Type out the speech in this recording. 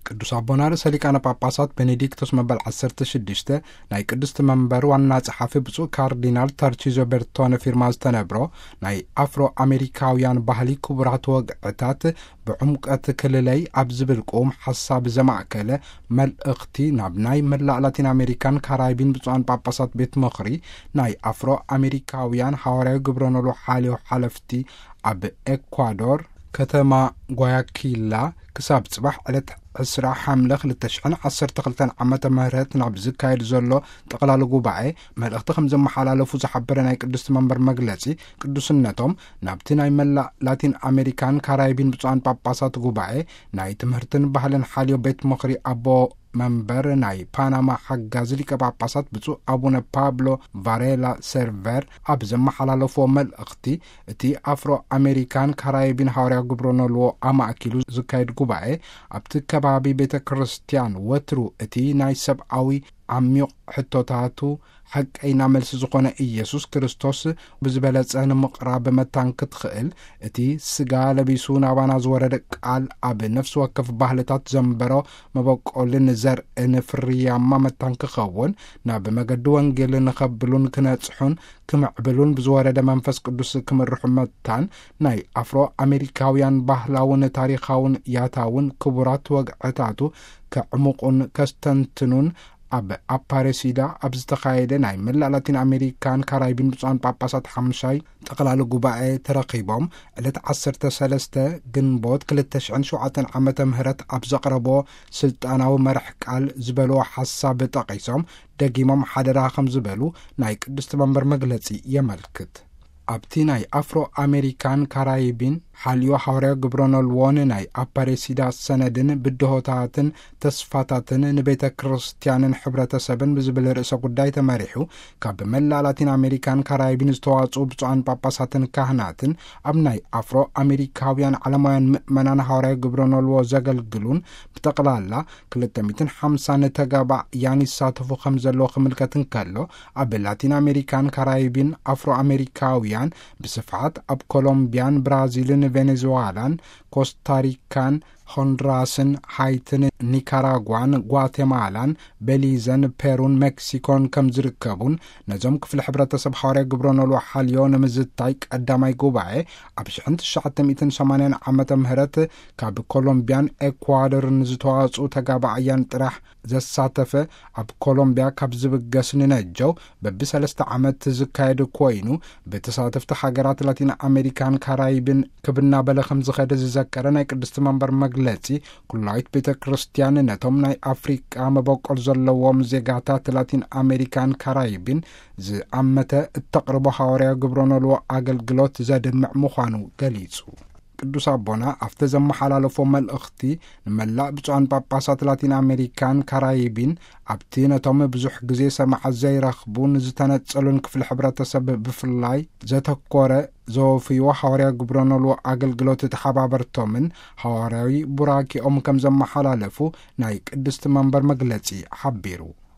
ቅዱስ ኣቦና ርእሰ ሊቃነ ጳጳሳት ቤኔዲክቶስ መበል ዓሰርተ ሽዱሽተ ናይ ቅድስቲ መንበር ዋና ጸሓፊ ብፁዕ ካርዲናል ታርቺዞ ቤርቶነ ፊርማ ዝተነብሮ ናይ ኣፍሮ ኣሜሪካውያን ባህሊ ክቡራት ወግዕታት ብዕምቀት ክልለይ ኣብ ዝብል ቅዉም ሓሳብ ዘማእከለ መልእኽቲ ናብ ናይ መላእ ላቲን ኣሜሪካን ካራይቢን ብፁዓን ጳጳሳት ቤት ምኽሪ ናይ ኣፍሮ ኣሜሪካውያን ሃዋርያዊ ግብረ ኖሎ ሓልዮ ሓለፍቲ ኣብ ኤኳዶር ከተማ ጓያኪላ ክሳብ ጽባሕ ዕለት ዕስራ ሓምለ ክልተ ሽሕን ዓሰርተ ክልተን ዓመተ ምህረት ናብ ዝካየድ ዘሎ ጠቕላሊ ጉባኤ መልእኽቲ ከም ዘመሓላለፉ ዝሓበረ ናይ ቅድስቲ መንበር መግለጺ፣ ቅዱስነቶም ናብቲ ናይ መላእ ላቲን ኣሜሪካን ካራይቢን ብፁዓን ጳጳሳት ጉባኤ ናይ ትምህርትን ባህልን ሓልዮ ቤት ምኽሪ ኣቦ መንበር ናይ ፓናማ ሓጋዚ ሊቀ ጳጳሳት ብፁዕ ኣቡነ ፓብሎ ቫሬላ ሰርቨር ኣብ ዘመሓላለፍዎ መልእኽቲ፣ እቲ ኣፍሮ ኣሜሪካን ካራይቢን ሃዋርያ ግብረ ኖልዎ ኣማእኪሉ ዝካየድ ጉባኤ ኣብቲ ከባቢ ቤተ ክርስቲያን ወትሩ እቲ ናይ ሰብኣዊ ዓሚቕ ሕቶታቱ ሓቀይና መልሲ ዝኾነ ኢየሱስ ክርስቶስ ብዝበለጸ ንምቕራብ መታን ክትኽእል፣ እቲ ስጋ ለቢሱ ናባና ዝወረደ ቃል ኣብ ነፍሲ ወከፍ ባህልታት ዘንበሮ መበቆልን ዘርእን ፍርያማ መታን ክኸውን፣ ናብ መገዲ ወንጌል ንኸብሉን ክነጽሑን ክምዕብሉን ብዝወረደ መንፈስ ቅዱስ ክምርሑ መታን፣ ናይ ኣፍሮ ኣሜሪካውያን ባህላውን ታሪኻውን ያታውን ክቡራት ወግዕታቱ ከዕምቑን ከስተንትኑን ኣብ ኣፓሬሲዳ ኣብ ዝተኻየደ ናይ መላእ ላቲን ኣሜሪካን ካራይቢን ብፁዓን ጳጳሳት ሓሙሻይ ጠቕላሊ ጉባኤ ተረኺቦም ዕለት ዓሰርተ ሰለስተ ግንቦት ክልተ ሽሕን ሸውዓተን ዓመተ ምህረት ኣብ ዘቕረቦ ስልጣናዊ መርሕ ቃል ዝበልዎ ሓሳብ ጠቒሶም፣ ደጊሞም ሓደራ ከም ዝበሉ ናይ ቅድስቲ መንበር መግለጺ የመልክት። ኣብቲ ናይ ኣፍሮ ኣሜሪካን ካራይቢን ሓልዮ ሃዋርያዊ ግብረ ኖልዎን ናይ ኣፓሬሲዳ ሰነድን ብድሆታትን ተስፋታትን ንቤተ ክርስቲያንን ሕብረተሰብን ብዝብል ርእሰ ጉዳይ ተመሪሑ፣ ካብ መላእ ላቲን ኣሜሪካን ካራይቢን ዝተዋጽኡ ብፁዓን ጳጳሳትን ካህናትን ኣብ ናይ ኣፍሮ ኣሜሪካውያን ዓለማውያን ምእመናን ሃዋርያዊ ግብረ ኖልዎ ዘገልግሉን ብጠቕላላ ክልተ ሚእትን ሓምሳን ተጋባእያን ይሳተፉ ከም ዘለዉ ክምልከት እንከሎ፣ ኣብ ላቲን ኣሜሪካን ካራይቢን ኣፍሮ ኣሜሪካውያን ብስፍሓት ኣብ ኮሎምቢያን ብራዚልን ቬኔዙዋላን ኮስታሪካን ሆንድራስን ሃይትን ኒካራጓን ጓቴማላን ቤሊዘን ፔሩን ሜክሲኮን ከም ዝርከቡን፣ ነዞም ክፍሊ ሕብረተሰብ ሃዋርያ ግብረ ኖልዎ ሓልዮ ንምዝታይ ቀዳማይ ጉባኤ ኣብ ሽሕን ትሽዓተ ሚእትን ሰማንያን ዓመተ ምህረት ካብ ኮሎምቢያን ኤኳዶርን ዝተዋጽኡ ተጋባእያን ጥራሕ ዘሳተፈ፣ ኣብ ኮሎምቢያ ካብ ዝብገስ ንነጀው በብሰለስተ ዓመት ዝካየድ ኮይኑ፣ ብተሳተፍቲ ሃገራት ላቲን ኣሜሪካን ካራይብን ክብ እናበለ ከም ዝኸደ ዝዘከረ ናይ ቅድስቲ መንበር መግለጺ፣ ኩላዊት ቤተ ክርስቲያን ነቶም ናይ ኣፍሪቃ መበቆል ዘለዎም ዜጋታት ላቲን ኣሜሪካን ካራይብን ዝኣመተ እተቕርቦ ሃዋርያዊ ግብረ ኖልዎ ኣገልግሎት ዘድምዕ ምዃኑ ገሊጹ። ቅዱስ ኣቦና ኣብቲ ዘመሓላለፎ መልእኽቲ፣ ንመላእ ብፁዓን ጳጳሳት ላቲን ኣሜሪካን ካራይቢን፣ ኣብቲ ነቶም ብዙሕ ግዜ ሰማዕት ዘይረኽቡን ዝተነጸሉን ክፍሊ ሕብረተሰብ ብፍላይ ዘተኮረ ዘወፍይዎ ሃዋርያዊ ግብረ ኖልዎ ኣገልግሎት ተሓባበርቶምን ሃዋርያዊ ቡራኪኦም ከም ዘመሓላለፉ ናይ ቅድስቲ መንበር መግለጺ ሓቢሩ።